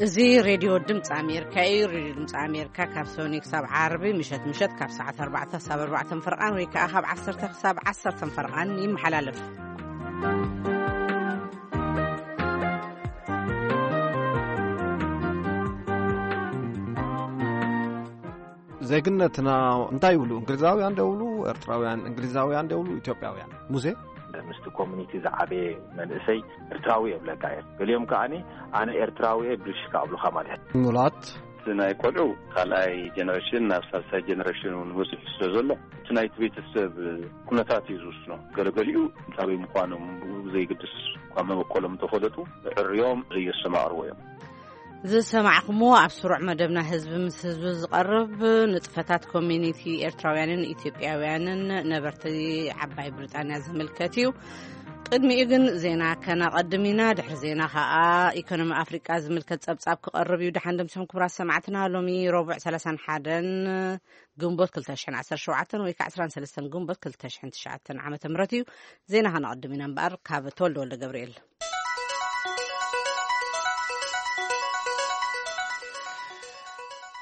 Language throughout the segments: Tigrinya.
እዚ ሬድዮ ድምፂ ኣሜሪካ እዩ። ሬድዮ ድምፂ ኣሜሪካ ካብ ሰኒ ክሳብ ዓርቢ ምሸት ምሸት ካብ ሰዓት ኣርባዕተ ክሳብ ኣርባዕተ ፈርቓን ወይ ከዓ ካብ ዓሰርተ ክሳብ ዓሰርተ ፈርቓን ይመሓላለፍ። ዜግነትና እንታይ ይብሉ? እንግሊዛውያን ዶ ይብሉ? ኤርትራውያን፣ እንግሊዛውያን ዶ ይብሉ? ኢትዮጵያውያን? ሙሴ? ምስቲ ኮሚኒቲ ዝዓበየ መንእሰይ ኤርትራዊ የብለካ እየ። ገሊኦም ከዓኒ ኣነ ኤርትራዊ እየ ብልሽካ ኣብሉኻ ማለት እዩ። ሙላት? እቲ ናይ ቆልዑ ካልኣይ ጀነሬሽን ናብ ሳልሳይ ጀነሬሽን እውን በፂሑ ስለ ዘሎ፣ እቲ ናይቲ ቤተሰብ ኩነታት እዩ ዝውስኖ። ገለገሊኡ እንታበይ ምዃኖም ብኡ ብዘይግድስ፣ እኳ መበቆሎም እንተፈለጡ፣ ዕርዮም ዘየስተማቕርዎ እዮም። ዝሰማዕኹምዎ ኣብ ስሩዕ መደብና ህዝቢ ምስ ህዝቢ ዝቐርብ ንጥፈታት ኮሚኒቲ ኤርትራውያንን ኢትዮጵያውያንን ነበርቲ ዓባይ ብሪጣንያ ዝምልከት እዩ። ቅድሚኡ ግን ዜና ከነቐድም ኢና። ድሕሪ ዜና ኸኣ ኢኮኖሚ ኣፍሪቃ ዝምልከት ጸብጻብ ክቐርብ እዩ። ደሓን ደምሲኹም ክቡራት ሰማዕትና። ሎሚ ረቡዕ ሰላሳን ሓደን ግንቦት ክልተ ሽሕን ዓሰርተ ሸውዓተን ወይ ከዓ ዕስራን ሰለስተን ግንቦት ክልተ ሽሕን ትሽዓተን ዓመተ ምህረት እዩ። ዜና ከነቐድም ኢና እምበኣር ካብ ተወልደ ወልደ ገብርኤል።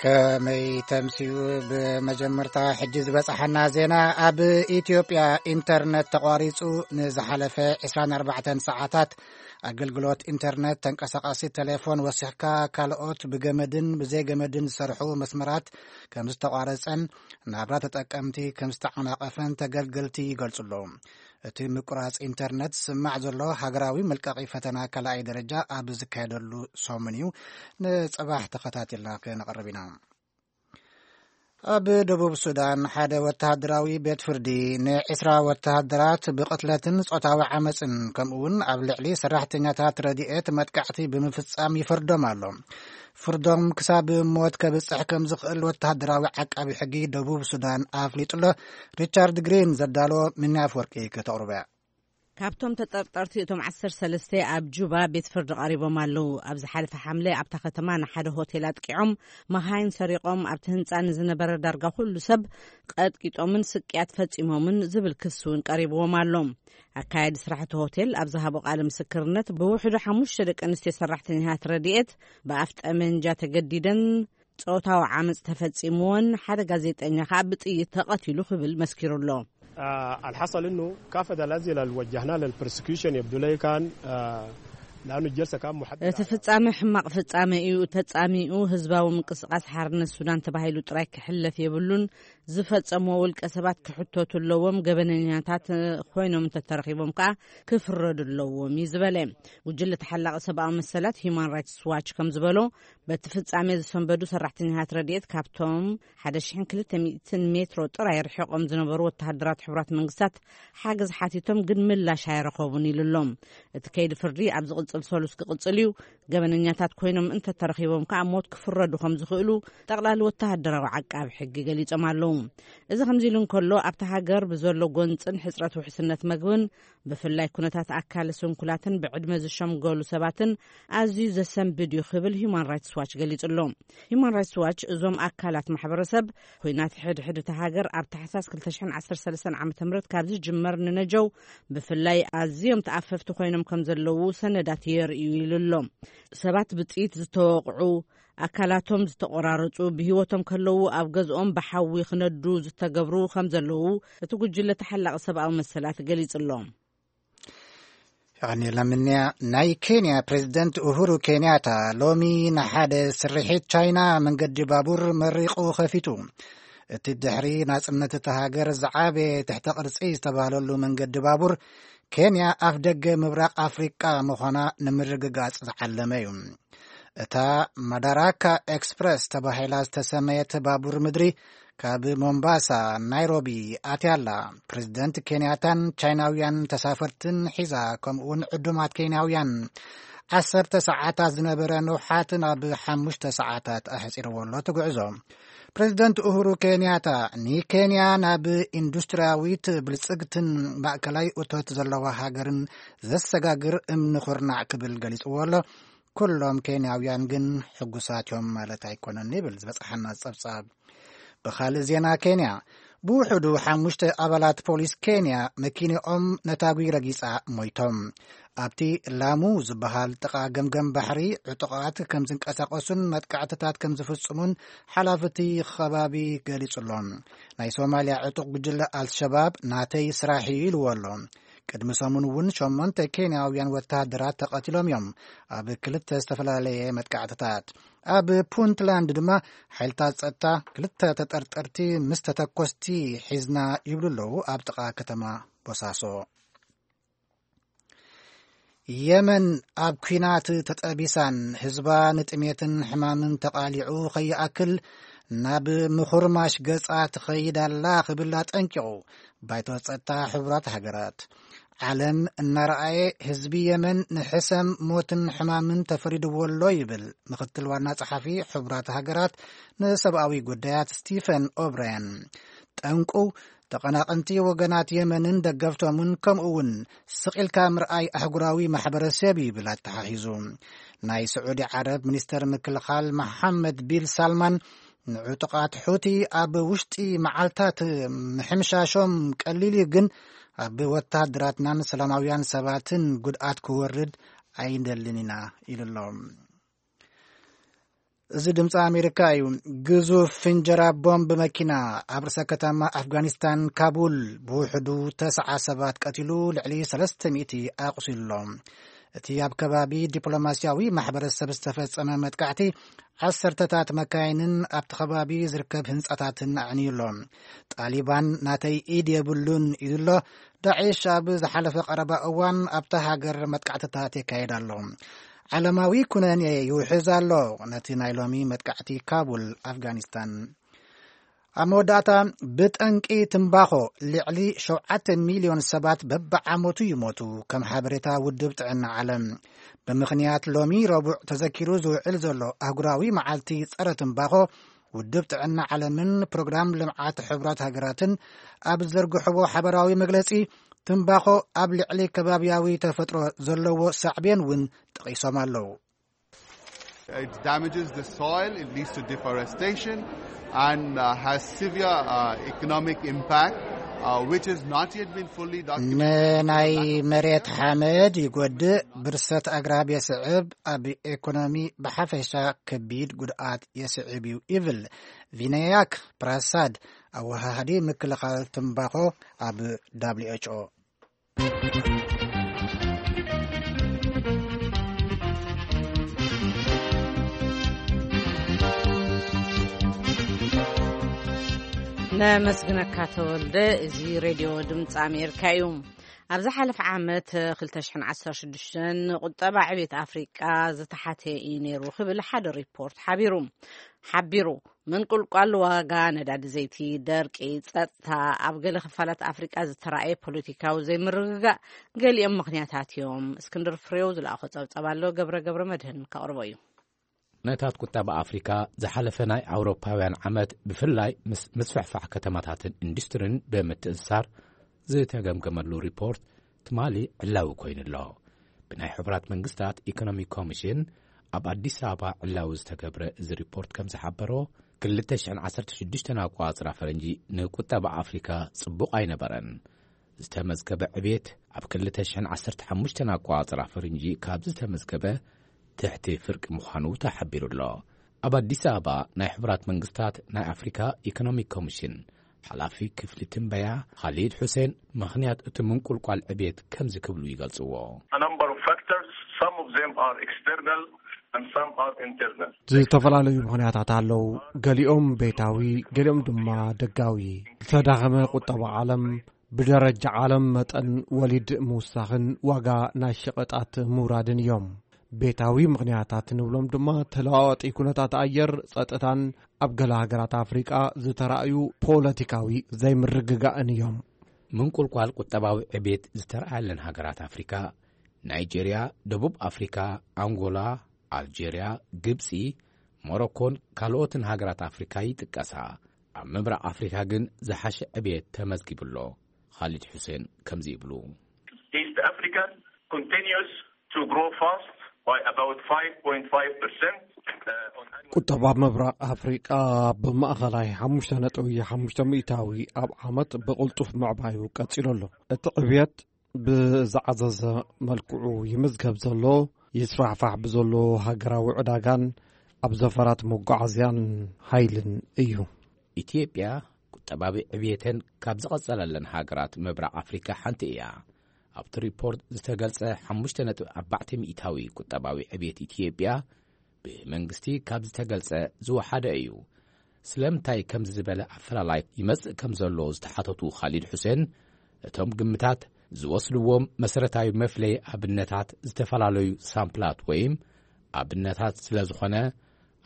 ከመይ ተምስዩ? ብመጀመርታ ሕጂ ዝበጽሓና ዜና፣ ኣብ ኢትዮጵያ ኢንተርነት ተቋሪጹ ንዝሓለፈ ዕስራን ኣርባዕተን ሰዓታት ኣገልግሎት ኢንተርነት፣ ተንቀሳቃሲ ቴሌፎን ወሲኽካ ካልኦት ብገመድን ብዘይገመድን ዝሰርሑ መስመራት ከም ዝተቋረጸን ናብራ ተጠቀምቲ ከም ዝተዓናቐፈን ተገልገልቲ ይገልጹ ኣለዉ። እቲ ምቁራጽ ኢንተርነት ዝስማዕ ዘሎ ሃገራዊ መልቀቒ ፈተና ካልኣይ ደረጃ ኣብ ዝካየደሉ ሰሙን እዩ። ንጽባሕ ተኸታቲልና ክነቕርብ ኢና። ኣብ ደቡብ ሱዳን ሓደ ወተሃደራዊ ቤት ፍርዲ ንዕስራ ወተሃደራት ብቕትለትን ጾታዊ ዓመጽን ከምኡውን ኣብ ልዕሊ ሰራሕተኛታት ረድኤት መጥቃዕቲ ብምፍጻም ይፈርዶም ኣሎ። ፍርዶም ክሳብ ሞት ከብጽሕ ከም ዝኽእል ወተሃደራዊ ዓቃቢ ሕጊ ደቡብ ሱዳን ኣፍሊጡ ኣሎ። ሪቻርድ ግሪን ዘዳሎ ሚኒ ኣፍወርቂ ከተቕርቦ እያ። ካብቶም ተጠርጠርቲ እቶም ዓሰርተ ሰለስተ ኣብ ጁባ ቤት ፍርዲ ቀሪቦም ኣለዉ። ኣብ ዝሓለፈ ሓምለ ኣብታ ከተማ ንሓደ ሆቴል ኣጥቂዖም፣ መኻይን ሰሪቖም፣ ኣብቲ ህንጻ ንዝነበረ ዳርጋ ኩሉ ሰብ ቀጥቂጦምን ስቅያት ፈጺሞምን ዝብል ክሲ እውን ቀሪብዎም ኣሎ። ኣካያዲ ስራሕ እቲ ሆቴል ኣብ ዝሃቦ ቃለ ምስክርነት፣ ብውሕዱ ሓሙሽተ ደቂ ኣንስትዮ ሰራሕተኛታት ረድኤት ብኣፍ ጠመንጃ ተገዲደን ጾታዊ ዓመጽ ተፈጺምዎን ሓደ ጋዜጠኛ ከኣ ብጥይት ተቐቲሉ ክብል መስኪሩ ኣሎ። آه، الحصل إنه كافة الأسئلة اللي وجهناها للبروسيكيوشن يبدو لي كان، آه، لأنه الجلسة كان محدد እቲ على ፍጻመ ሕማቕ ፍጻመ እዩ ተጻሚኡ። ህዝባዊ ምንቅስቃስ ሓርነት ሱዳን ተባሂሉ ጥራይ ክሕለፍ የብሉን። ዝፈጸምዎ ውልቀ ሰባት ክሕተቱ ኣለዎም። ገበነኛታት ኮይኖም እንተተረኺቦም ከኣ ክፍረዱ ኣለዎም እዩ ዝበለ። ጉጅለ ተሓላቒ ሰብኣዊ መሰላት ሂማን ራይትስ ዋች ከም ዝበሎ፣ በቲ ፍጻሜ ዝሰንበዱ ሰራሕተኛታት ረድኤት ካብቶም ሓደ ሽሕን ክልተ ሚእትን ሜትሮ ጥራይ ርሒቖም ዝነበሩ ወተሃደራት ሕቡራት መንግስታት ሓገዝ ሓቲቶም ግን ምላሽ ኣይረኸቡን ኢሉ ኣሎ። እቲ ከይዲ ፍርዲ ኣብ ዝቕጽል ሰሉስ ክቕጽል እዩ። ገበነኛታት ኮይኖም እንተተረኺቦም ከኣ ሞት ክፍረዱ ከም ዝኽእሉ ጠቕላሊ ወተሃደራዊ ዓቃቢ ሕጊ ገሊጾም ኣለዉ። እዚ ከምዚ ኢሉ እንከሎ፣ ኣብታ ሃገር ብዘሎ ጎንጽን ሕጽረት ውሕስነት መግብን ብፍላይ ኩነታት ኣካለ ስንኩላትን ብዕድመ ዝሸምገሉ ሰባትን ኣዝዩ ዘሰንብድ እዩ ክብል ሂማን ራይትስ ዋች ገሊጹ ኣሎ። ሂማን ራይትስ ዋች እዞም ኣካላት ማሕበረሰብ፣ ኩናት ሕድሕድ እታ ሃገር ኣብ ታሕሳስ ክልተ ሽሕን ዓሰርተ ሰለስተን ዓመተ ምህረት ካብ ዝጅመር ንነጀው ብፍላይ ኣዝዮም ተኣፈፍቲ ኮይኖም ከም ዘለዉ ሰነዳት የርእዩ ኢሉ ኣሎ። ሰባት ብጥይት ዝተወቕዑ፣ ኣካላቶም ዝተቖራረጹ፣ ብህይወቶም ከለዉ ኣብ ገዝኦም ብሓዊ ክነዱ ዝተገብሩ ከም ዘለዉ እቲ ጉጅለ ተሓላቒ ሰብኣዊ መሰላት ገሊጹ ኣሎ። የቐንየልና ምንያ። ናይ ኬንያ ፕሬዝደንት ኡሁሩ ኬንያታ ሎሚ ንሓደ ስርሒት ቻይና መንገዲ ባቡር መሪቑ ከፊቱ። እቲ ድሕሪ ናጽነት እታ ሃገር ዝዓበየ ትሕተ ቅርጺ ዝተባህለሉ መንገዲ ባቡር ኬንያ ኣፍ ደገ ምብራቕ ኣፍሪቃ ምዃና ንምርግጋጽ ዝዓለመ እዩ። እታ ማዳራካ ኤክስፕረስ ተባሂላ ዝተሰመየት ባቡር ምድሪ ካብ ሞምባሳ ናይሮቢ ኣትያ ኣላ። ፕሬዝደንት ኬንያታን ቻይናውያን ተሳፈርትን ሒዛ፣ ከምኡውን ዕዱማት ኬንያውያን ዓሰርተ ሰዓታት ዝነበረ ንውሓት ናብ ሓሙሽተ ሰዓታት ኣሕጺርዎ ኣሎ እቲ ጉዕዞ። ፕሬዝደንት ኡሁሩ ኬንያታ፣ ንኬንያ ናብ ኢንዱስትሪያዊት ብልጽግትን ማእከላይ እቶት ዘለዋ ሃገርን ዘሰጋግር እምኒ ኩርናዕ ክብል ገሊጽዎ ኣሎ። ኩሎም ኬንያውያን ግን ሕጉሳት እዮም ማለት ኣይኮነን ይብል ዝበጽሓና ጸብጻብ። ብኻልእ ዜና፣ ኬንያ ብውሕዱ ሓሙሽተ ኣባላት ፖሊስ ኬንያ መኪንኦም ነታጒ ረጊጻ ሞይቶም። ኣብቲ ላሙ ዝበሃል ጥቓ ገምገም ባሕሪ ዕጡቓት ከም ዝንቀሳቐሱን መጥቃዕትታት ከም ዝፍጽሙን ሓላፍቲ ከባቢ ገሊጹ ኣሎ። ናይ ሶማልያ ዕጡቕ ጉጅለ ኣልሸባብ ናተይ ስራሕ እዩ ኢልዎ ኣሎ። ቅድሚ ሰሙን እውን ሸሞንተ ኬንያውያን ወተሃደራት ተቐቲሎም እዮም ኣብ ክልተ ዝተፈላለየ መጥቃዕትታት። ኣብ ፑንትላንድ ድማ ሓይልታት ጸጥታ ክልተ ተጠርጠርቲ ምስ ተተኮስቲ ሒዝና ይብሉ ኣለዉ ኣብ ጥቓ ከተማ ቦሳሶ። የመን ኣብ ኲናት ተጠቢሳን ህዝባ ንጥሜትን ሕማምን ተቓሊዑ ከይኣክል ናብ ምኹርማሽ ገጻ ትኸይድ ኣላ ክብል ኣጠንቂቑ ባይቶ ጸጥታ ሕቡራት ሃገራት። ዓለም እናረኣየ ህዝቢ የመን ንሕሰም ሞትን ሕማምን ተፈሪድዎ ኣሎ ይብል ምኽትል ዋና ጸሓፊ ሕቡራት ሃገራት ንሰብኣዊ ጉዳያት ስቲፈን ኦብራያን። ጠንቁ ተቐናቐንቲ ወገናት የመንን ደገፍቶምን ከምኡ እውን ስቕ ኢልካ ምርኣይ ኣህጉራዊ ማሕበረሰብ ይብል ኣተሓሒዙ። ናይ ስዑዲ ዓረብ ሚኒስተር ምክልኻል መሓመድ ቢል ሳልማን ንዕጡቓት ሑቲ ኣብ ውሽጢ መዓልታት ምሕምሻሾም ቀሊል እዩ፣ ግን ኣብ ወተሃደራትናን ሰላማውያን ሰባትን ጉድኣት ክወርድ ኣይንደልን ኢና ኢሉ ኣሎ። እዚ ድምፂ ኣሜሪካ እዩ። ግዙፍ ፍንጀራ ቦምብ መኪና ኣብ ርእሰ ከተማ ኣፍጋኒስታን ካቡል ብውሕዱ ተስዓ ሰባት ቀቲሉ፣ ልዕሊ ሰለስተ ሚእቲ ኣቑሲሉ ኣሎ። እቲ ኣብ ከባቢ ዲፕሎማስያዊ ማሕበረሰብ ዝተፈጸመ መጥቃዕቲ ዓሰርተታት መካይንን ኣብቲ ከባቢ ዝርከብ ህንጻታትን ኣዕንዩ ኣሎ። ጣሊባን ናተይ ኢድ የብሉን ኢሉ ኣሎ። ዳዒሽ ኣብ ዝሓለፈ ቀረባ እዋን ኣብታ ሃገር መጥቃዕትታት የካየድ ኣሎ። ዓለማዊ ኩነኔ ይውሕዝ ኣሎ። ነቲ ናይ ሎሚ መጥቃዕቲ ካቡል ኣፍጋኒስታን። ኣብ መወዳእታ፣ ብጠንቂ ትምባኾ ልዕሊ ሸውዓተ ሚልዮን ሰባት በብዓመቱ ይሞቱ፣ ከም ሓበሬታ ውድብ ጥዕና ዓለም። ብምኽንያት ሎሚ ረቡዕ ተዘኪሩ ዝውዕል ዘሎ ኣህጉራዊ መዓልቲ ጸረ ትምባኾ፣ ውድብ ጥዕና ዓለምን ፕሮግራም ልምዓት ሕቡራት ሃገራትን ኣብ ዝዘርግሕዎ ሓበራዊ መግለጺ፣ ትምባኾ ኣብ ልዕሊ ከባብያዊ ተፈጥሮ ዘለዎ ሳዕቤን እውን ጠቒሶም ኣለዉ። It damages the soil, it leads to deforestation, and uh, has severe uh, economic impact, uh, which has not yet been fully documented. ንናይ መሬት ሓመድ ይጎድእ፣ ብርሰት ኣግራብ የስዕብ፣ ኣብ ኢኮኖሚ ብሓፈሻ ከቢድ ጉድኣት የስዕብ እዩ ይብል ቪናያክ ፕራሳድ፣ ኣወሃሃዲ ምክልኻል ትምባኾ ኣብ ደብሊው ኤች ኦ። ነመስግነካ ተወልደ። እዚ ሬድዮ ድምፂ ኣሜሪካ እዩ። ኣብ ዝሓለፈ ዓመት ክልተ ሽሕን ዓሰርተ ሽዱሽተን ቁጠባ ዕቤት ኣፍሪቃ ዝተሓተ እዩ ነይሩ ክብል ሓደ ሪፖርት ሓቢሩ ሓቢሩ። ምንቁልቋል ዋጋ ነዳዲ ዘይቲ፣ ደርቂ፣ ጸጥታ፣ ኣብ ገለ ክፋላት ኣፍሪቃ ዝተራእየ ፖለቲካዊ ዘይምርግጋእ ገሊኦም ምኽንያታት እዮም። እስክንድር ፍሬው ዝለኣኾ ጸብጻብ ኣሎ፣ ገብረ ገብረ መድህን ከቕርቦ እዩ። ኩነታት ቁጠባ ኣፍሪካ ዝሓለፈ ናይ ኣውሮፓውያን ዓመት ብፍላይ ምስ ምስፍሕፋሕ ከተማታትን ኢንዱስትሪን ብምትእስሳር ዝተገምገመሉ ሪፖርት ትማሊ ዕላዊ ኮይኑ ኣሎ። ብናይ ሕቡራት መንግስታት ኢኮኖሚ ኮሚሽን ኣብ ኣዲስ ኣበባ ዕላዊ ዝተገብረ እዚ ሪፖርት ከም ዝሓበሮ፣ ክልተ ሽሕን ዓሰርተ ሽዱሽተን ኣቆጻጽራ ፈረንጂ ንቁጠባ ኣፍሪካ ጽቡቕ ኣይነበረን። ዝተመዝገበ ዕቤት ኣብ ክልተ ሽሕን ዓሰርተ ሓሙሽተን ኣቆጻጽራ ፈረንጂ ካብ ዝተመዝገበ ትሕቲ ፍርቂ ምዃኑ ተሓቢሩ ኣሎ። ኣብ ኣዲስ ኣበባ ናይ ሕቡራት መንግስታት ናይ ኣፍሪካ ኢኮኖሚክ ኮሚሽን ሓላፊ ክፍሊ ትንበያ ኻሊድ ሑሴን ምኽንያት እቲ ምንቁልቋል ዕቤት ከምዚ ክብሉ ይገልጽዎ። A number of factors, some of them are external and some are internal. ዝተፈላለዩ ምኽንያታት ኣለዉ። ገሊኦም ቤታዊ፣ ገሊኦም ድማ ደጋዊ። ዝተዳኸመ ቁጠባ ዓለም፣ ብደረጃ ዓለም መጠን ወሊድ ምውሳኽን ዋጋ ናይ ሸቐጣት ምውራድን እዮም። ቤታዊ ምኽንያታት ንብሎም ድማ ተለዋዋጢ ኩነታት ኣየር፣ ጸጥታን ኣብ ገለ ሃገራት ኣፍሪቃ ዝተራእዩ ፖለቲካዊ ዘይምርግጋእን እዮም። ምንቁልቋል ቁጠባዊ ዕቤት ዝተረኣየለን ሃገራት ኣፍሪካ፣ ናይጄርያ፣ ደቡብ ኣፍሪካ፣ ኣንጎላ፣ ኣልጄርያ፣ ግብፂ፣ ሞሮኮን ካልኦትን ሃገራት ኣፍሪካ ይጥቀሳ። ኣብ ምብራቕ ኣፍሪካ ግን ዝሓሸ ዕቤት ተመዝጊቡ ኣሎ። ኻሊድ ሑሴን ከምዚ ይብሉ። East Africa continues to grow fast by about five point five percent. ቁጠባ ምብራቕ ኣፍሪቃ ብማእኸላይ ሓሙሽተ ነጥቢ ሓሙሽተ ሚእታዊ ኣብ ዓመት ብቕልጡፍ ምዕባዩ ቀጺሉ ኣሎ። እቲ ዕብየት ብዝዓዘዘ መልክዑ ይምዝገብ ዘሎ፣ ይስፋሕፋሕ ብዘሎ ሃገራዊ ዕዳጋን ኣብ ዘፈራት መጓዓዝያን ሓይልን እዩ። ኢትዮጵያ ቁጠባዊ ዕብየተን ካብ ዝቐጸለለን ሃገራት ምብራቕ ኣፍሪካ ሓንቲ እያ። ኣብቲ ሪፖርት ዝተገልጸ ሓሙሽተ ነጥቢ ኣርባዕተ ሚእታዊ ቁጠባዊ ዕብየት ኢትዮጵያ ብመንግስቲ ካብ ዝተገልጸ ዝወሓደ እዩ። ስለምንታይ ከምዚ ዝበለ ኣፈላላይ ይመጽእ ከም ዘሎ ዝተሓተቱ ካሊድ ሑሴን፣ እቶም ግምታት ዝወስድዎም መሰረታዊ መፍለይ ኣብነታት ዝተፈላለዩ ሳምፕላት ወይም ኣብነታት ስለ ዝኾነ፣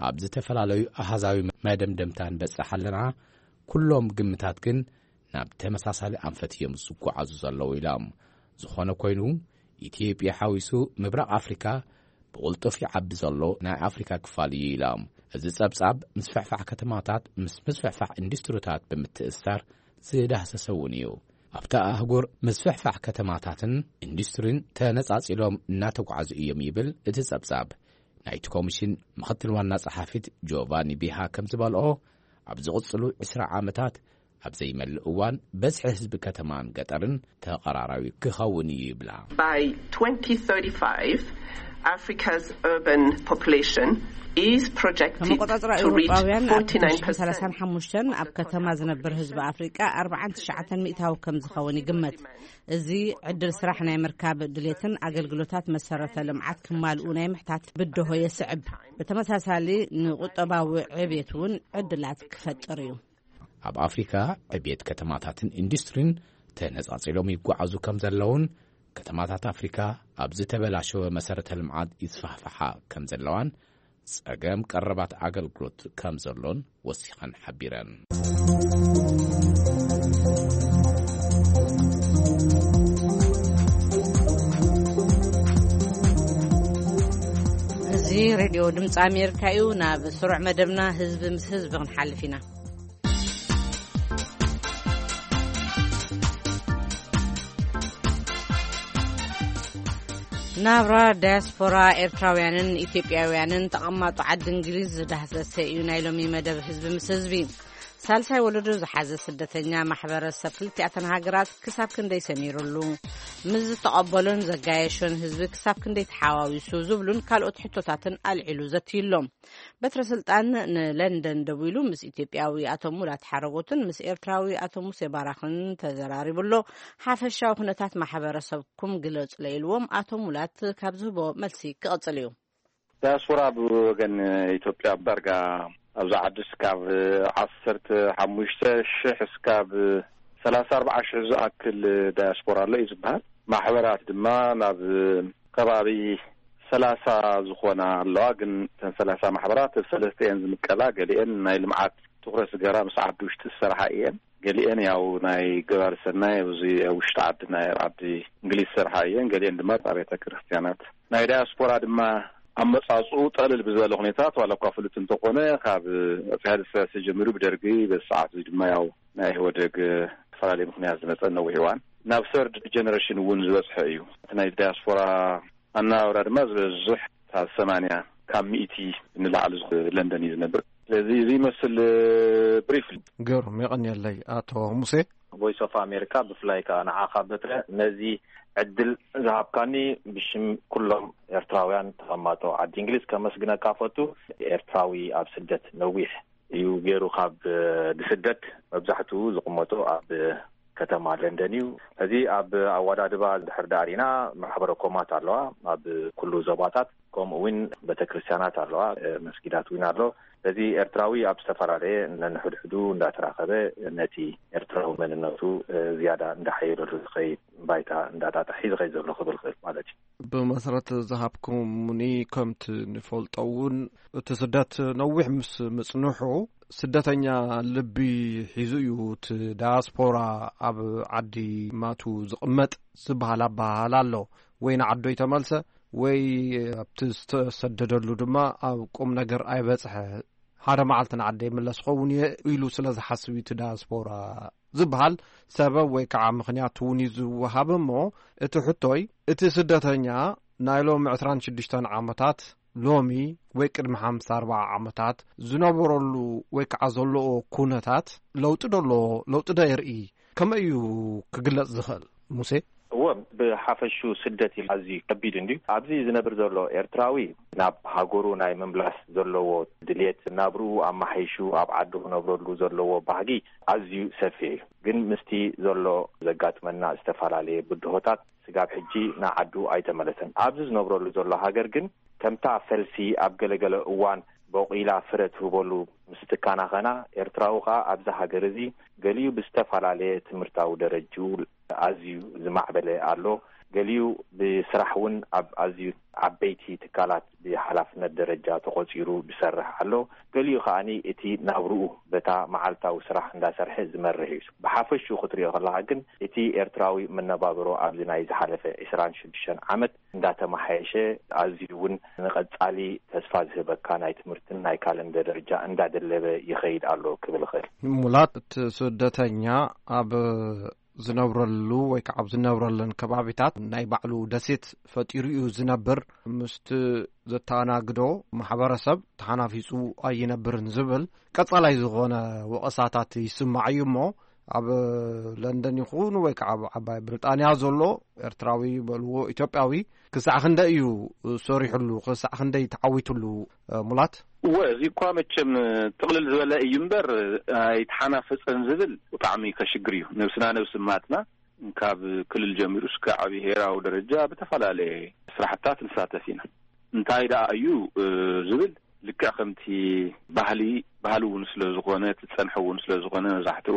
ኣብ ዝተፈላለዩ ኣሃዛዊ መደምደምታ ንበጽሕ ኣለና። ኩሎም ግምታት ግን ናብ ተመሳሳሊ ኣንፈት እዮም ዝጓዓዙ ዘለዉ ኢሎም። ዝኾነ ኮይኑ፣ ኢትዮጵያ ሓዊሱ ምብራቕ ኣፍሪካ ብቕልጡፍ ይዓቢ ዘሎ ናይ ኣፍሪካ ክፋል እዩ ኢሎም። እዚ ጸብጻብ ምስፍሕፋሕ ከተማታት ምስ ምስፍሕፋሕ ኢንዱስትሪታት ብምትእስሳር ዝዳህሰሰ እውን እዩ። ኣብታ ኣህጉር ምስፍሕፋሕ ከተማታትን ኢንዱስትሪን ተነጻጺሎም እናተጓዓዙ እዮም ይብል እቲ ጸብጻብ። ናይቲ ኮሚሽን ምኽትል ዋና ጸሓፊት ጆቫኒ ቢሃ ከም ዝበልኦ፣ ኣብ ዝቕጽሉ ዕስራ ዓመታት ኣብ ዘይመልእ እዋን በዝሒ ህዝቢ ከተማን ገጠርን ተቐራራቢ ክኸውን እዩ ይብላ። By twenty thirty-five, Africa's urban population is projected ከመቆጻጽራ to reach ኤውሮጳውያን ኣብ forty-nine percent. ክልተ ሽሕን ሰላሳን ሓሙሽተን ኣብ ከተማ ዝነብር ህዝቢ ኣፍሪቃ ኣርባዓን ትሽዓተን ሚእታዊ ከም ዝኸውን ይግመት። እዚ ዕድል ስራሕ ናይ ምርካብ ድሌትን ኣገልግሎታት መሰረተ ልምዓት ክማልኡ ናይ ምሕታት ብድሆ የስዕብ። ብተመሳሳሊ ንቁጠባዊ ዕብየት እውን ዕድላት ክፈጥር እዩ። ኣብ ኣፍሪካ ዕብየት ከተማታትን ኢንዱስትሪን ተነጻጺሎም ይጓዓዙ ከም ዘለውን፣ ከተማታት ኣፍሪካ ኣብ ዝተበላሸወ መሰረተ ልምዓት ይስፋሕፍሓ ከም ዘለዋን፣ ጸገም ቀረባት ኣገልግሎት ከም ዘሎን ወሲኸን ሓቢረን። እዚ ሬድዮ ድምፂ ኣሜሪካ እዩ። ናብ ስሩዕ መደብና ህዝቢ ምስ ህዝቢ ክንሓልፍ ኢና። ናብራ ዳያስፖራ ኤርትራውያንን ኢትዮጵያውያንን ተቐማጦ ዓዲ እንግሊዝ ዝዳህሰሰ እዩ ናይ ሎሚ መደብ ህዝቢ ምስ ህዝቢ። ሳልሳይ ወለዶ ዝሓዘ ስደተኛ ማሕበረሰብ ክልቲኣተን ሃገራት ክሳብ ክንደይ ሰሚሩሉ፣ ምስ ዝተቐበሎን ዘጋየሾን ህዝቢ ክሳብ ክንደይ ተሓዋዊሱ ዝብሉን ካልኦት ሕቶታትን ኣልዒሉ ዘትዩሎም። በትረ ስልጣን ንለንደን ደዊሉ ምስ ኢትዮጵያዊ ኣቶ ሙላት ሓረጎትን ምስ ኤርትራዊ ኣቶ ሙሴ ባራኽን ተዘራሪቡ ኣሎ። ሓፈሻዊ ኩነታት ማሕበረሰብኩም ግለጹ ኢልዎም ኣቶ ሙላት ካብ ዝህቦ መልሲ ክቕጽል እዩ። ዳያስፖራ ብወገን ኢትዮጵያ ዳርጋ ኣብዚ ዓዲ እስካብ ዓሰርተ ሓሙሽተ ሽሕ እስካብ ሰላሳ ኣርባዓ ሽሕ ዝኣክል ዳያስፖራ ኣሎ እዩ ዝበሃል። ማሕበራት ድማ ናብ ከባቢ ሰላሳ ዝኾና ኣለዋ። ግን እተን ሰላሳ ማሕበራት ሰለስተ እየን ዝምቀላ። ገሊአን ናይ ልምዓት ትኹረት ዝገበራ ምስ ዓዲ ውሽጢ ዝሰርሓ እየን። ገሊአን ያው ናይ ገባሪ ሰናይ ኣብዚ ኣብ ውሽጢ ዓዲ ናይ ዓዲ እንግሊዝ ዝሰርሓ እየን። ገሊአን ድማ ኣብ ቤተ ክርስቲያናት። ናይ ዳያስፖራ ድማ ኣመጻጽኡ ጠልል ብዝበለ ኩነታት ዋላ እኳ ፍሉጥ እንተኾነ ካብ ኣፄ ሃይለ ስላሴ ጀሚሩ ብደርጊ በዚ ሰዓት እዚ ድማ ያው ናይ ኢህወደግ ዝተፈላለየ ምኽንያት ዝመጸ ነዊሕ እዋን ናብ ሰርድ ጀነሬሽን እውን ዝበጽሐ እዩ። እቲ ናይ ዳያስፖራ ኣነባብራ ድማ ዝበዝሕ ካብ ሰማንያ ካብ ሚእቲ ንላዕሊ ዝኾነ ለንደን እዩ ዝነብር። ስለዚ እዚ ይመስል ብሪፍ። ገሩም የቐንየለይ ኣቶ ሙሴ። ቮይስ ኦፍ ኣሜሪካ ብፍላይ ከዓ ንዓኻ በትረ ነዚ ዕድል ዝሃብካኒ ብሽም ኩሎም ኤርትራውያን ተቐማጦ ዓዲ እንግሊዝ ከመስግነካ ፈቱ። ኤርትራዊ ኣብ ስደት ነዊሕ እዩ ገይሩ ካብ ዝስደት መብዛሕትኡ ዝቕመጦ ኣብ ከተማ ለንደን እዩ። እዚ ኣብ ኣወዳድባ ድሕር ዳሪና ማሕበረ ኮማት ኣለዋ ኣብ ኩሉ ዞባታት፣ ከምኡ እውን ቤተክርስትያናት ኣለዋ፣ መስጊዳት እውን ኣሎ። እዚ ኤርትራዊ ኣብ ዝተፈላለየ ነንሕድሕዱ እንዳተራኸበ ነቲ ኤርትራዊ መንነቱ ዝያዳ እንዳሓየለሉ ዝኸይድ ባይታ እንዳጣጣሒ ዝኸይድ ዘሎ ክብል ክእል ማለት እዩ። ብመሰረት ዝሃብኩምኒ ከምቲ ንፈልጦ እውን እቲ ስደት ነዊሕ ምስ ምጽንሑ ስደተኛ ልቢ ሒዙ እዩ እቲ ዳያስፖራ ኣብ ዓዲ ማቱ ዝቕመጥ ዝበሃል ኣበሃህላ ኣሎ። ወይ ንዓዶ ይተመልሰ ወይ ኣብቲ ዝተሰደደሉ ድማ ኣብ ቁም ነገር ኣይበጽሐ። ሓደ መዓልቲ ንዓደ ይምለስ ኸውን እየ ኢሉ ስለ ዝሓስብ እዩ እቲ ዳያስፖራ ዝበሃል ሰበብ ወይ ከዓ ምኽንያት እውን እዩ ዝወሃብ። እሞ እቲ ሕቶይ እቲ ስደተኛ ናይ ሎም ዕስራን ሽዱሽተን ዓመታት ሎሚ ወይ ቅድሚ ሓምሳ ኣርባዓ ዓመታት ዝነበረሉ ወይ ከዓ ዘለዎ ኩነታት ለውጢ ዶ ኣለዎ? ለውጢ ዶ የርኢ? ከመይ እዩ ክግለጽ ዝኽእል? ሙሴ? እወ፣ ብሓፈሹ ስደት ኢሉ ኣዝዩ ከቢድ እንድዩ። ኣብዚ ዝነብር ዘሎ ኤርትራዊ ናብ ሃገሩ ናይ ምምላስ ዘለዎ ድልየት፣ ናብርኡ ኣማሓይሹ ኣብ ዓዱ ክነብረሉ ዘለዎ ባህጊ ኣዝዩ ሰፊሕ እዩ። ግን ምስቲ ዘሎ ዘጋጥመና ዝተፈላለየ ብድሆታት ስጋብ ሕጂ ንዓዱ ኣይተመለሰን። ኣብዚ ዝነብረሉ ዘሎ ሃገር ግን ከምታ ፈልሲ ኣብ ገለገለ እዋን በቂላ ፍረ ትህበሉ ምስ ትካናኸና፣ ኤርትራዊ ከኣ ኣብዚ ሃገር እዚ ገሊኡ ብዝተፈላለየ ትምህርታዊ ደረጅኡ ኣዝዩ ዝማዕበለ ኣሎ። ገሊኡ ብስራሕ እውን ኣብ ኣዝዩ ዓበይቲ ትካላት ብሓላፍነት ደረጃ ተቖጺሩ ዝሰርሕ ኣሎ። ገሊኡ ከኣኒ እቲ ናብርኡ በታ መዓልታዊ ስራሕ እንዳሰርሐ ዝመርሕ እዩ። ብሓፈሽኡ ክትሪኦ ከለኻ ግን እቲ ኤርትራዊ መነባብሮ ኣብዚ ናይ ዝሓለፈ ዕስራን ሽዱሽተን ዓመት እንዳተመሓየሸ፣ ኣዝዩ እውን ንቐጻሊ ተስፋ ዝህበካ ናይ ትምህርትን ናይ ካልእን ደረጃ እንዳደለበ ይኸይድ ኣሎ ክብል እኽእል። ሙላት፣ እቲ ስደተኛ ኣብ ዝነብረሉ ወይ ከዓ ኣብ ዝነብረለን ከባቢታት ናይ ባዕሉ ደሴት ፈጢሩ እዩ ዝነብር። ምስቲ ዘተኣናግዶ ማሕበረሰብ ተሓናፊጹ ኣይነብርን ዝብል ቀጻላይ ዝኾነ ወቐሳታት ይስማዕ እዩ። እሞ ኣብ ለንደን ይኹን ወይ ከዓ ኣብ ዓባይ ብሪጣንያ ዘሎ ኤርትራዊ በልዎ ኢትዮጵያዊ ክሳዕ ክንደይ እዩ ሰሪሕሉ? ክሳዕ ክንደይ ተዓዊትሉ? ሙላት? እወ፣ እዚ እኳ መቸም ጥቕልል ዝበለ እዩ እምበር ኣይተሓናፈጸን ዝብል ብጣዕሚ ከሽግር እዩ። ነብስና ነብሲ ማትና ካብ ክልል ጀሚሩ እስከ ዓቢ ብሄራዊ ደረጃ ብተፈላለየ ስራሕታት ንሳተፍ ኢና። እንታይ ደኣ እዩ ዝብል፣ ልክዕ ከምቲ ባህሊ፣ ባህሊ እውን ስለ ዝኾነ፣ እቲ ዝጸንሐ እውን ስለ ዝኾነ፣ መብዛሕትኡ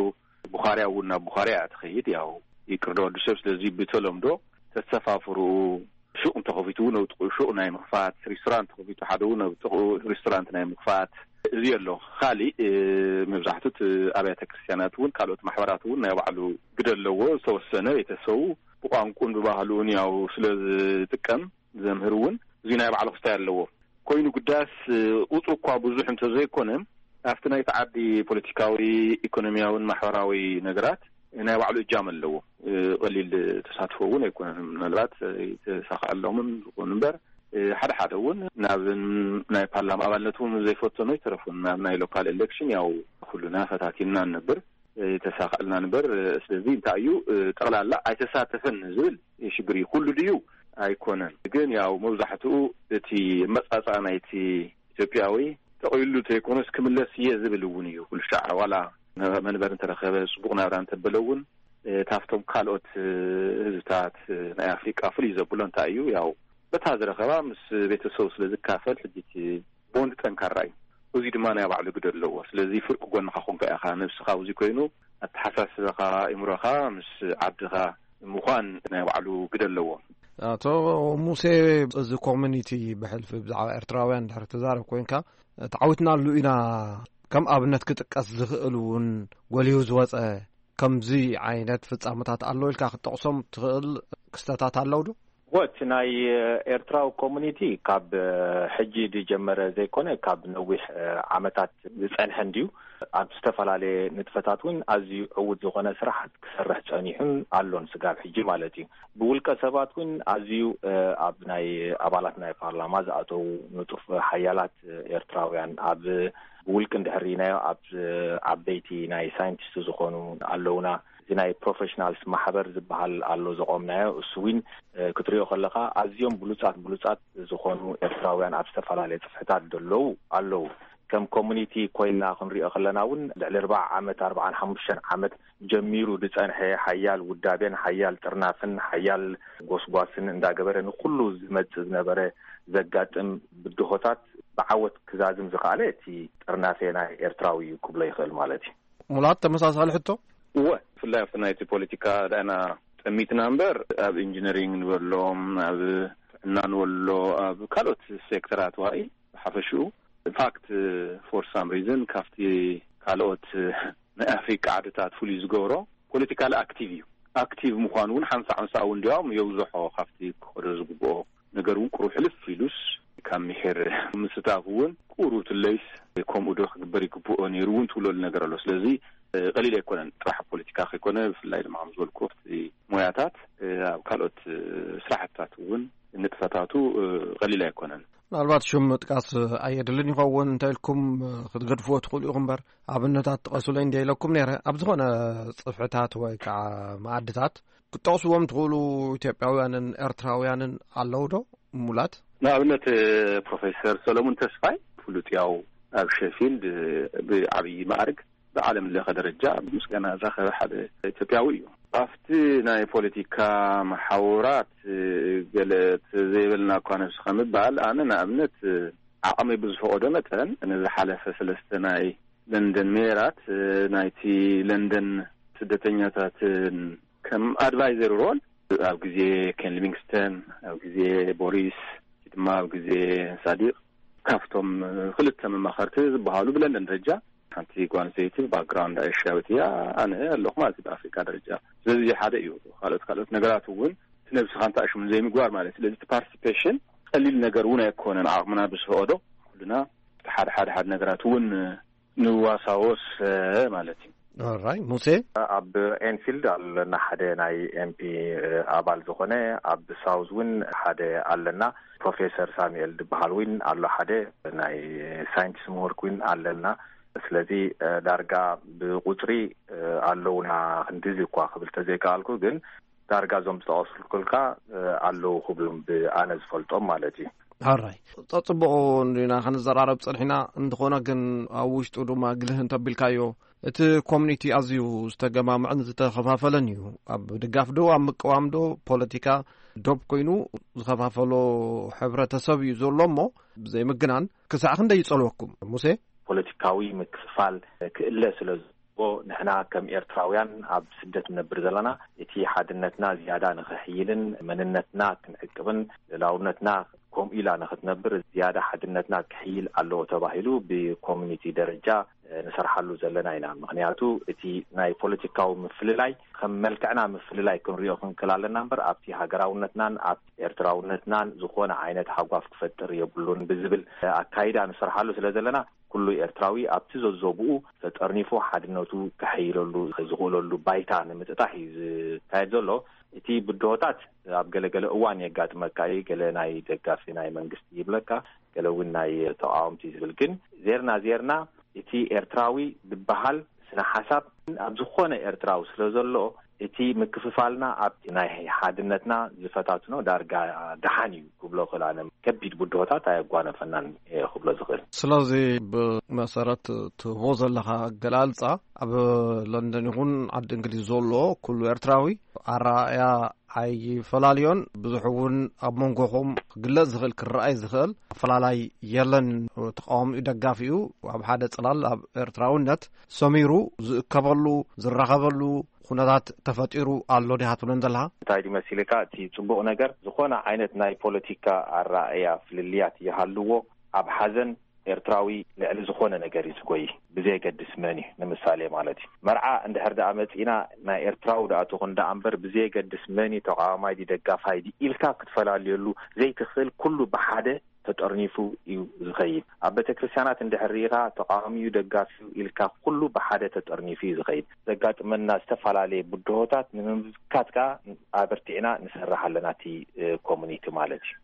ቡኻርያ እውን ናብ ቡኻርያ እያ ትኸይድ። ያው ይቅርዶ ወዲ ሰብ፣ ስለዚ ብተለምዶ ተሰፋፍርኡ ሹቕ እንተኸፊቱ እውን ኣብ ጥቕኡ ሹቕ ናይ ምኽፋት፣ ሪስቶራንት ተኸፊቱ ሓደ እውን ኣብ ጥቕኡ ሪስቶራንት ናይ ምኽፋት፣ እዚ ኣሎ። ካሊእ መብዛሕትኡ ኣብያተ ክርስቲያናት እውን ካልኦት ማሕበራት እውን ናይ ባዕሉ ግደ ኣለዎ። ዝተወሰነ ቤተሰቡ ብቋንቁን ብባህሉን ያው ስለ ዝጥቀም፣ ዘምህር እውን እዚ ናይ ባዕሉ ክስታይ ኣለዎ። ኮይኑ ግዳስ ቁፅሩ እኳ ብዙሕ እንተዘይኮነ፣ ኣብቲ ናይቲ ዓዲ ፖለቲካዊ፣ ኢኮኖሚያውን ማሕበራዊ ነገራት ናይ ባዕሉ እጃም ኣለዎ። ቀሊል ተሳትፎ እውን ኣይኮነን። ምናልባት ኣይተሳኽዐሎምን ዝኾኑ እምበር፣ ሓደ ሓደ እውን ናብ ናይ ፓርላማ ኣባልነት እውን ዘይፈተኑ ኣይተረፉን። ናብ ናይ ሎካል ኤሌክሽን ያው ኩሉና ፈታቲንና ንነብር፣ ኣይተሳኽዐልናን እምበር። ስለዚ እንታይ እዩ፣ ጠቕላላ ኣይተሳተፈን ዝብል ሽግር እዩ። ኩሉ ድዩ? ኣይኮነን። ግን ያው መብዛሕትኡ እቲ መጻጻ ናይቲ ኢትዮጵያዊ ጠቕሊሉ ዘይኮነስ ክምለስ እየ ዝብል እውን እዩ። ኩሉ ሻዕ ዋላ መንበሪ እንተረኸበ፣ ጽቡቕ ናብራ እንተበለ እውን፣ ካብቶም ካልኦት ህዝብታት ናይ ኣፍሪቃ ፍልይ ዘብሎ እንታይ እዩ፣ ያው በታ ዝረኸባ ምስ ቤተሰቡ ስለ ዝካፈል፣ ሕጂ እቲ ቦንድ ጠንካራ እዩ። እዚ ድማ ናይ ባዕሉ ግደ ኣለዎ። ስለዚ ፍርቂ ጎንኻ ኮንካ ኢኻ፣ ነብስኻ ኣብዚ ኮይኑ ኣተሓሳስባኻ፣ እምሮኻ ምስ ዓድኻ ምዃን ናይ ባዕሉ ግደ ኣለዎ። ኣቶ ሙሴ፣ እዚ ኮሚኒቲ ብሕልፊ ብዛዕባ ኤርትራውያን ድሕሪ ትዛረብ ኮንካ፣ ተዓዊትናሉ ኢና፣ ከም ኣብነት ክጥቀስ ዝኽእል እውን ጎሊሁ ዝወጸ ከምዚ ዓይነት ፍጻመታት ኣሎ ኢልካ ክትጠቕሶም ትኽእል ክስተታት ኣለዉ ዶ? ወት ናይ ኤርትራዊ ኮሚኒቲ ካብ ሕጂ ዝጀመረ ዘይኮነ፣ ካብ ነዊሕ ዓመታት ዝጸንሐ እንድዩ። ኣብ ዝተፈላለየ ንጥፈታት እውን ኣዝዩ ዕዉት ዝኾነ ስራሓት ክሰርሕ ጸኒሑን ኣሎን ስጋብ ሕጂ ማለት እዩ። ብውልቀ ሰባት እውን ኣዝዩ ኣብ ናይ ኣባላት ናይ ፓርላማ ዝኣተዉ ንጡፍ ሓያላት ኤርትራውያን፣ ኣብ ብውልቂ እንድሕር ርኢናዮ ኣብ ዓበይቲ ናይ ሳይንቲስት ዝኾኑ ኣለውና። እዚ ናይ ፕሮፌሽናልስ ማሕበር ዝበሃል ኣሎ ዘቆምናዮ፣ እሱ እውን ክትሪኦ ከለኻ ኣዝዮም ብሉጻት ብሉጻት ዝኾኑ ኤርትራውያን ኣብ ዝተፈላለየ ጽፍሕታት ዘለዉ ኣለዉ። ከም ኮሚኒቲ ኮይንና ክንሪኦ ከለና እውን ልዕሊ ኣርባዓ ዓመት፣ ኣርባዓን ሓሙሽተን ዓመት ጀሚሩ ዝጸንሐ ሓያል ውዳቤን ሓያል ጥርናፍን ሓያል ጎስጓስን እንዳገበረ ንኩሉ ዝመጽእ ዝነበረ ዘጋጥም ብድሆታት ብዓወት ክዛዝም ዝኸኣለ እቲ ጥርናፌ ናይ ኤርትራዊ እዩ ክብሎ ይኽእል ማለት እዩ። ሙላት፣ ተመሳሳሊ ሕቶ? እወ፣ ብፍላይ ኣብቲ ናይቲ ፖለቲካ ዳእና ጠሚትና እምበር፣ ኣብ ኢንጂነሪንግ ንበሎም፣ ኣብ ጥዕና ንበሎ፣ ኣብ ካልኦት ሴክተራት ዋኢ ብሓፈሽኡ፣ ኢንፋክት፣ ፎር ሳም ሪዝን ካብቲ ካልኦት ናይ ኣፍሪቃ ዓድታት ፍሉይ ዝገብሮ ፖለቲካሊ ኣክቲቭ እዩ። ኣክቲቭ ምዃኑ እውን ሓንሳእ ሓንሳእ እውን እንዲያውም የብዝሖ ካብቲ ክኸዶ ዝግብኦ ነገር እውን ቁሩብ ሕልፍ ኢሉስ ካብ ምሒር ምስታፍ እውን ቁሩብ ትለይስ ከምኡ ዶ ክግበር ይግብኦ ነይሩ እውን ትብለሉ ነገር ኣሎ። ስለዚ ቀሊል ኣይኮነን፣ ጥራሕ ፖለቲካ ከይኮነ ብፍላይ ድማ ከም ዝበልኩ ኣብቲ ሞያታት ኣብ ካልኦት ስራሕትታት እውን ንጥፈታቱ ቀሊል ኣይኮነን። ምናልባት ሽም ምጥቃስ ኣየድልን ይኸውን፣ እንታይ ኢልኩም ክትገድፍዎ ትኽእሉ ኢኹም እምበር፣ ኣብነታት ጥቀሱለይ እንዲያ ኢለኩም ነይረ። ኣብ ዝኾነ ጽፍሕታት ወይ ከዓ መኣድታት ክትጠቕስዎም ትኽእሉ ኢትዮጵያውያንን ኤርትራውያንን ኣለዉ ዶ? ሙላት? ንኣብነት፣ ፕሮፌሰር ሰለሙን ተስፋይ ፍሉጥ ያው ኣብ ሸፊልድ ብዓብዪ ማዕርግ ብዓለም ለኸ ደረጃ ምስጋና ዝረኸበ ሓደ ኢትዮጵያዊ እዩ። ኣብቲ ናይ ፖለቲካ መሓውራት ገለ ዘይበልና እኳ ነብስኻ ምባል፣ ኣነ ንኣብነት ዓቕመይ ብዝፈቐዶ መጠን ንዝሓለፈ ሰለስተ ናይ ለንደን ሜራት ናይቲ ለንደን ስደተኛታትን ከም ኣድቫይዘር ሮል ኣብ ግዜ ኬን ሊቪንግስተን፣ ኣብ ግዜ ቦሪስ፣ ድማ ኣብ ግዜ ሳዲቕ ካብቶም ክልተ መማኸርቲ ዝበሃሉ ብለንደን ደረጃ ሓንቲ ጓል ኣንስተይቲ ባክግራውንድ ኤሽያዊት እያ፣ ኣነ ኣለኹ ማለት እዩ ብኣፍሪካ ደረጃ። ስለዚ ሓደ እዩ። ካልኦት ካልኦት ነገራት እውን እቲ ነብስኻ እንተ ኣሽሙ ዘይምግባር ማለት እዩ። ስለዚ እቲ ፓርቲሲፔሽን ቀሊል ነገር እውን ኣይኮነን። ዓቕምና ብዝፈቐዶ ኩልና እቲ ሓደ ሓደ ሓደ ነገራት እውን ንዋሳወስ ማለት እዩ። ኦራይ ሙሴ። ኣብ ኤንፊልድ ኣለና ሓደ ናይ ኤምፒ ኣባል ዝኾነ፣ ኣብ ሳውዝ እውን ሓደ ኣለና። ፕሮፌሰር ሳሙኤል ዝበሃል እውን ኣሎ፣ ሓደ ናይ ሳይንቲስት ምሁር እውን ኣለና። ስለዚ ዳርጋ ብቁፅሪ ኣለውና ክንድዚ እኳ ክብል ተዘይከኣልኩ፣ ግን ዳርጋ እዞም ዝጠቐስኩልካ ኣለዉ ክብሉም ብኣነ ዝፈልጦም ማለት እዩ። ኣራይ፣ ጸጽቡቑ እንዲና ክንዘራረብ ጸኒሕና፣ እንተኾነ ግን ኣብ ውሽጡ ድማ ግልህ እንተቢልካዮ፣ እቲ ኮሚኒቲ ኣዝዩ ዝተገማምዐን ዝተኸፋፈለን እዩ። ኣብ ድጋፍ ዶ ኣብ ምቅዋም ዶ ፖለቲካ ዶብ ኮይኑ ዝኸፋፈሎ ሕብረተሰብ እዩ ዘሎ እሞ፣ ብዘይ ምግናን ክሳዕ ክንደይ ይጸልወኩም? ሙሴ? ፖለቲካዊ ምክፍፋል ክእለ ስለ ንሕና ከም ኤርትራውያን ኣብ ስደት ንነብር ዘለና፣ እቲ ሓድነትና ዝያዳ ንኽሕይልን መንነትና ክንዕቅብን ልኡላውነትና ከምኡ ኢላ ንኽትነብር ዝያዳ ሓድነትና ክሕይል ኣለዎ ተባሂሉ ብኮሚኒቲ ደረጃ ንሰርሓሉ ዘለና ኢና። ምኽንያቱ እቲ ናይ ፖለቲካዊ ምፍልላይ ከም መልክዕና ምፍልላይ ክንሪኦ ክንክል ኣለና እምበር ኣብቲ ሃገራውነትናን ኣብ ኤርትራውነትናን ዝኾነ ዓይነት ሃጓፍ ክፈጥር የብሉን ብዝብል ኣካይዳ ንሰርሓሉ ስለ ዘለና ኩሉ ኤርትራዊ ኣብቲ ዘዞብኡ ተጠርኒፉ ሓድነቱ ከሐይለሉ ዝኽእለሉ ባይታ ንምጥጣሕ እዩ ዝካየድ ዘሎ። እቲ ብድሆታት ኣብ ገለገለ እዋን የጋጥመካ እዩ። ገለ ናይ ደጋፊ ናይ መንግስቲ ይብለካ፣ ገለ እውን ናይ ተቃወምቲ ዝብል። ግን ዜርና ዜርና እቲ ኤርትራዊ ዝበሃል ስነ ሓሳብ ኣብ ዝኾነ ኤርትራዊ ስለ ዘሎ እቲ ምክፍፋልና ኣብ ናይ ሓድነትና ዝፈታትኖ ዳርጋ ደሓን እዩ ክብሎ ክእል። ኣነ ከቢድ ብድሆታት ኣየጓነፈናን እየ ክብሎ ዝኽእል። ስለዚ ብመሰረት ትህቦ ዘለኻ ኣገላልጻ ኣብ ለንደን ይኹን ዓዲ እንግሊዝ ዘሎ ኩሉ ኤርትራዊ ኣረኣእያ ኣይፈላለዮን። ብዙሕ እውን ኣብ መንጎኹም ክግለጽ ዝኽእል ክረኣይ ዝኽእል ኣፈላላይ የለን። ተቃዋሚኡ ደጋፊኡ ኣብ ሓደ ጽላል ኣብ ኤርትራውነት ሰሚሩ ዝእከበሉ ዝራኸበሉ ኩነታት ተፈጢሩ ኣሎ ዲኻ ትብለን ዘለኻ? እንታይ ድዩ መሲልካ እቲ ጽቡቕ ነገር? ዝኾነ ዓይነት ናይ ፖለቲካ ኣረኣእያ ፍልልያት ይሃልዎ፣ ኣብ ሓዘን ኤርትራዊ ልዕሊ ዝኾነ ነገር እዩ ዝጎይ፣ ብዘየገድስ መን እዩ። ንምሳሌ ማለት እዩ፣ መርዓ እንድሕር ደኣ መጺእና ናይ ኤርትራዊ ደኣ ትኹን ደኣ እምበር ብዘየገድስ መን እዩ ተቃዋማይ ድዩ ደጋፋይ ድዩ ኢልካ ክትፈላልየሉ ዘይትኽእል፣ ኩሉ ብሓደ ተጠርኒፉ እዩ ዝኸይድ። ኣብ ቤተክርስትያናት እንድሕር ርኢኻ ተቃዋሚዩ ደጋፊዩ ኢልካ ኩሉ ብሓደ ተጠርኒፉ እዩ ዝኸይድ። ዘጋጥመና ዝተፈላለየ ብድሆታት ንምምካት ከኣ ኣበርቲዕና ንሰርሕ ኣለና፣ እቲ ኮሙኒቲ ማለት እዩ።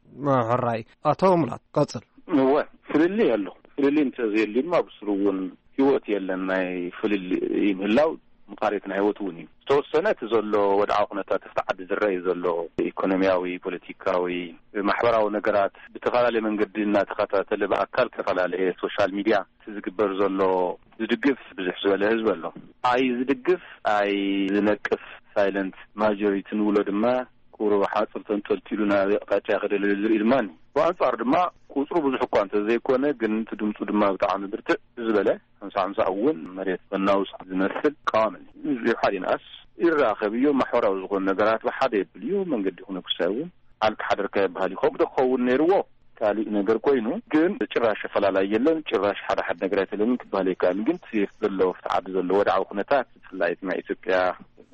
ሕራይ። ኣቶ ሙላት ቀጽል። እወ፣ ፍልልይ ኣሎ። ፍልልይ እንተዘየልዩ ድማ ብስሩ እውን ህይወት የለን። ናይ ፍልልይ ምህላው ምቃሬት ናይ ህይወት እውን እዩ። ዝተወሰነ እቲ ዘሎ ወድዓዊ ኩነታት ኣብቲ ዓዲ ዝረኣይ ዘሎ ኢኮኖሚያዊ፣ ፖለቲካዊ፣ ማሕበራዊ ነገራት ብተፈላለየ መንገዲ እናተኸታተለ ብኣካል ዝተፈላለየ ሶሻል ሚድያ እቲ ዝግበር ዘሎ ዝድግፍ ብዙሕ ዝበለ ህዝቢ ኣሎ። ኣይ ዝድግፍ ኣይ ዝነቅፍ ሳይለንት ማጆሪቲ ንብሎ ድማ ቁሩብ ሓፁር ተንጠልጢሉ ናብ ኣቕጣጫ ይኸደሉ ዝርኢ ድማ እኒ። ብኣንፃር ድማ ቁፅሩ ብዙሕ እኳ እንተዘይኮነ ግን እቲ ድምፁ ድማ ብጣዕሚ ብርትዕ ዝበለ ሓምሳ ሓምሳ እውን መሬት መናውፅ ዝመስል ቀዋሚ እዩ። ህዝቢ ሓደ ይንኣስ ይራኸብ እዩ። ማሕበራዊ ዝኾኑ ነገራት ብሓደ የብል እዩ። መንገዲ ክነኩሳ እውን ኣልካ ሓደርካ ይበሃል እዩ። ከምኡ ዶ ክኸውን ነይርዎ? ካሊእ ነገር ኮይኑ ግን ጭራሽ ኣፈላላይ የለን። ጭራሽ ሓደ ሓደ ነገር ኣይተለምን ክበሃል ኣይከኣልን። ግን እቲ ዘሎ ኣብቲ ዓዲ ዘሎ ወድዓዊ ኩነታት ብፍላይ እቲ ናይ ኢትዮጵያ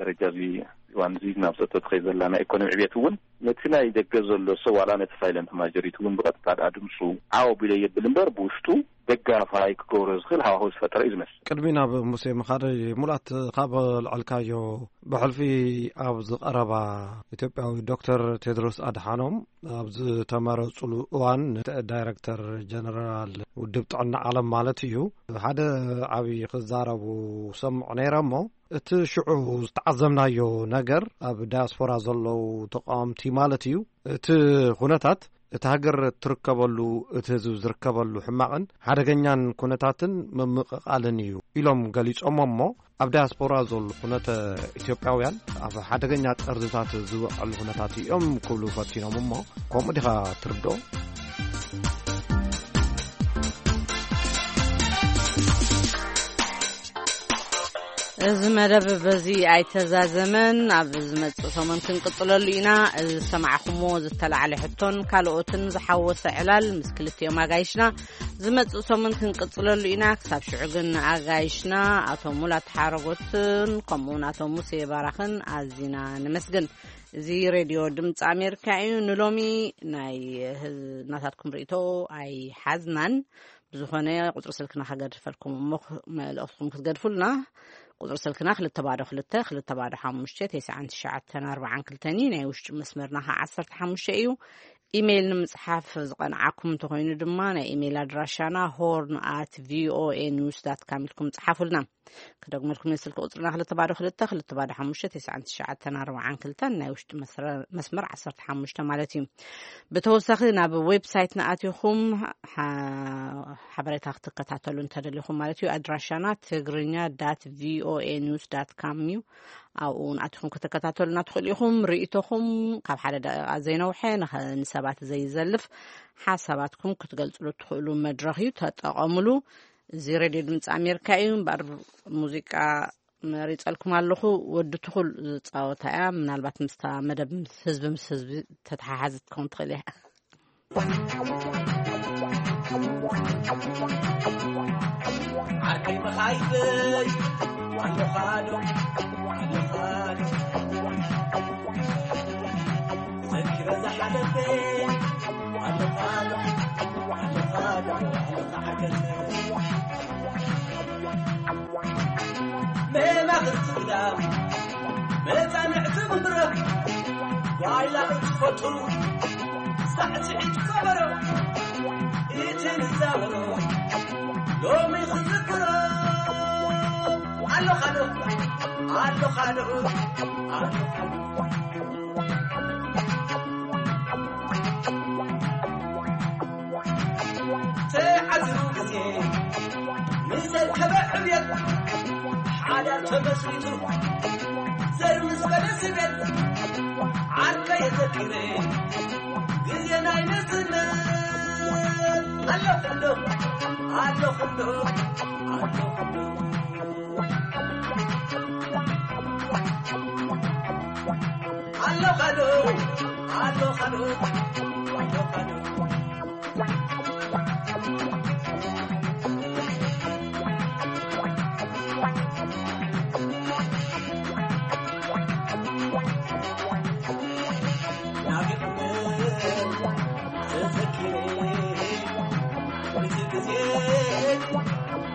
ደረጃ እዚ እዋን እዚ ናብ ጸጥታ ትኸይድ ዘላ ናይ ኢኮኖሚ ዕቤት እውን ነቲ ናይ ደገ ዘሎ ሰብ ዋላ ነቲ ሳይለንት ማጆሪቲ እውን ብቐጥታ ደኣ ድምፁ ዓው ኣቢሎ የብል እምበር ብውሽጡ ደጋፋይ ክገብሮ ዝኽእል ሃዋህው ዝፈጠረ እዩ ዝመስል። ቅድሚ ናብ ሙሴ ምኻደይ፣ ሙላት፣ ካብ ልዐልካዮ፣ ብሕልፊ ኣብ ዝቐረባ፣ ኢትዮጵያዊ ዶክተር ቴድሮስ ኣድሓኖም ኣብ ዝተመረጹሉ እዋን፣ ዳይረክተር ጀነራል ውድብ ጥዕና ዓለም ማለት እዩ፣ ሓደ ዓብዪ ክዛረቡ ሰምዑ ነይረ እሞ፣ እቲ ሽዑ ዝተዓዘብናዮ ነገር፣ ኣብ ዳያስፖራ ዘለዉ ተቃወምቲ ማለት እዩ፣ እቲ ኩነታት፣ እቲ ሃገር ትርከበሉ፣ እቲ ህዝቢ ዝርከበሉ ሕማቕን ሓደገኛን ኩነታትን ምምቕቓልን እዩ ኢሎም ገሊጾሞ እሞ፣ ኣብ ዳያስፖራ ዘለዉ ኩነተ ኢትዮጵያውያን ኣብ ሓደገኛ ጠርዝታት ዝወዕሉ ኩነታት እዮም ክብሉ ፈቲኖም እሞ፣ ከምኡ ዲኻ ትርድኦ? እዚ መደብ በዚ ኣይተዛዘመን። ኣብ ዝመጽእ ሰሙን ክንቅጽለሉ ኢና። እዚ ዝሰማዕኹምዎ ዝተላዕለ ሕቶን ካልኦትን ዝሓወሰ ዕላል ምስ ክልቲኦም ኣጋይሽና ዝመጽእ ሰሙን ክንቅጽለሉ ኢና። ክሳብ ሽዑ ግን ንኣጋይሽና ኣቶ ሙላት ሓረጎትን ከምኡውን ኣቶ ሙሴ ባራኽን ኣዚና ነመስግን። እዚ ሬድዮ ድምፂ ኣሜሪካ እዩ። ንሎሚ ናይ ህዝ-፣ ናታትኩም ርእቶ ኣይሓዝናን። ብዝኾነ ቁፅሪ ስልክና ከገድፈልኩም እሞ ክ-፣ መልእኽትኩም ክትገድፉልና። ቁፅሪ ስልክና ክልተ ባዶ ክልተ፣ ክልተ ባዶ ሓሙሽተ፣ ተስዓን ትሽዓተን ኣርባዓን ክልተን እዩ። ናይ ውሽጢ መስመርና ከዓ ዓሰርተ ሓሙሽተ እዩ። ኢሜይል ንምፅሓፍ ዝቐንዓኩም እንተኾይኑ ድማ ናይ ኢሜይል ኣድራሻና ሆርን ኣት ቪኦኤ ኒውስ ዳት ካም ኢልኩም ፅሓፉልና። ክደግመልኩም፣ የስልኪ ቁፅርና ክልተ ባዶ ክልተ፣ ክልተ ባዶ ሓሙሽተ፣ ተስዓን ትሽዓተን ኣርባዓን ክልተን፣ ናይ ውሽጢ መስረ-፣ መስመር ዓሰርተ ሓሙሽተ ማለት እዩ። ብተወሳኺ ናብ ዌብሳይትና ኣቲኹም ሓ-፣ ሓበሬታ ክትከታተሉ እንተደሊኹም ማለት እዩ። ኣድራሻና ትግርኛ ዳት ቪኦኤ ኒውስ ዳት ካም እዩ። ኣብኡ እውን ኣቲኹም ክትከታተሉና ትኽእሉ ኢኹም። ርእይቶኹም ካብ ሓደ ደቂቓ ዘይነውሐ ንኸ-፣ ንሰባት ዘይዘልፍ ሓሳባትኩም ክትገልጽሉ እትኽእሉ መድረኽ እዩ። ተጠቐምሉ። እዚ ሬድዮ ድምፂ ኣሜሪካ እዩ። እምበኣር ሙዚቃ መሪጸልኩም ኣለኹ። ወዲ ትኹል ዝጻወታ እያ። ምናልባት ምስታ መደብ ምስ ህዝቢ፣ ምስ ህዝቢ ተተሓሓዝ ክትከውን ትኽእል እያ። ዓርከይ መኻይበይ ኣለኻ ዶ? ኣለኻ ዶ? ዘኪረ ዝሓለፈ ኣለኻ ዶ? ኣለኻ ዶ? ኣለኻ ዓርከይ። መማኽርቲ ግዳም፣ መጻንዕቲ ምብራቕ፣ ጓይላ እትፈቱ፣ ሳዕስዒት ከበሮ፣ እቲ ንዛወሮ፣ ሎሚ ክዝክሮ፣ ኣለኻ ዶ፣ ኣለኻ ዶ፣ ኣለኻ ዶ። ተዓዝቡ ግዜ ምስ ዘርከበ ዕብየት፣ ሓዳር ተመስሪቱ ዘር ምስ በለ ስቤት፣ ዓርከ የዘኪረ ግዜ ናይ ንእስነት። ኣለኹ ዶ፣ ኣለኹ ዶ፣ ኣለኹ ዶ። ኣሎ ኻዶ፣ ኣሎ ኻዶ፣ ኣሎ ኻዶ። ናፊቕኒ ተዘኪረ፣ እቲ ግዜ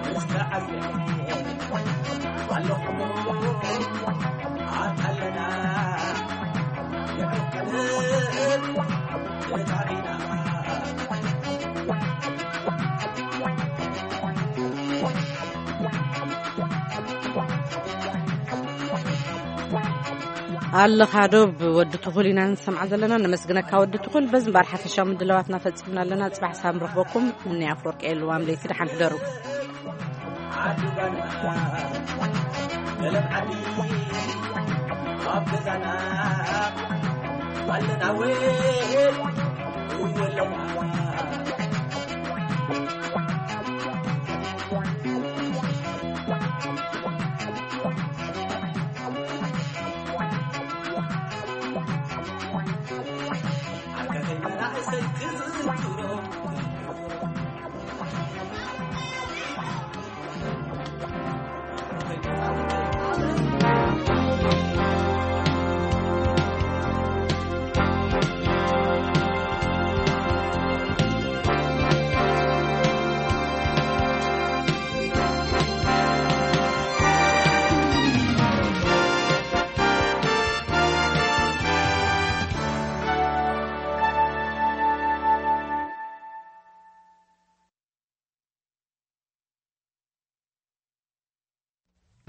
ምስ ተዓዘ፣ ኣለኹ ኣታለና፣ ንዕቀብ ተታሪና። ኣለኻ ዶ ብወዲ ትኹል ኢና ንሰምዓ ዘለና። ነመስግነካ ወዲ ትኹል። በዚ እምበኣር ሓፈሻዊ ምድላዋትና ፈጺምና ኣለና። ጽባሕ ሳብ ንረኽበኩም። እኒ ኣፍወርቂ የልዋም ለይቲ ደሓን ሕደሩ። ዓዲ ጓና፣ ገለም ዓዲ፣ ኣብ ገዛና ኣለና ወይ፣ እወ ኣለና።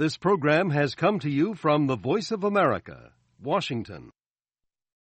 This program has come to you from the Voice of America, Washington.